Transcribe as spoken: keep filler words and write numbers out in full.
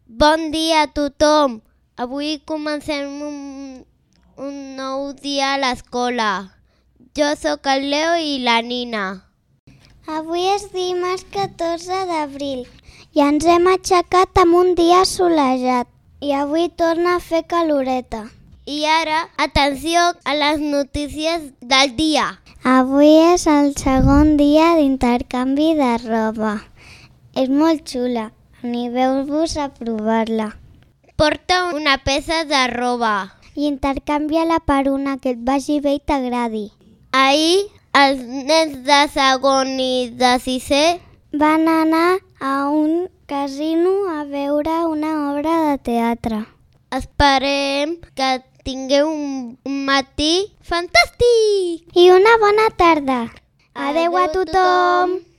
Bon dia a tothom. Avui comencem un, un nou dia a l'escola. Jo sóc el Leo i la Nina. Avui és dimarts catorze d'abril i ens hem aixecat amb un dia assolejat i avui torna a fer caloreta. I ara, atenció a les notícies del dia. Avui és el segon dia d'intercanvi de roba. És molt xula, animeu-vos a provar-la. Porta una peça de roba I intercanvia-la per una que et vagi bé i t'agradi. Ahir, els nens de segon i de sisè Van anar a un casino a veure una obra de teatre. Esperem que tingueu un, un matí fantàstic! I una bona tarda. Adéu Adéu a a tothom! tothom.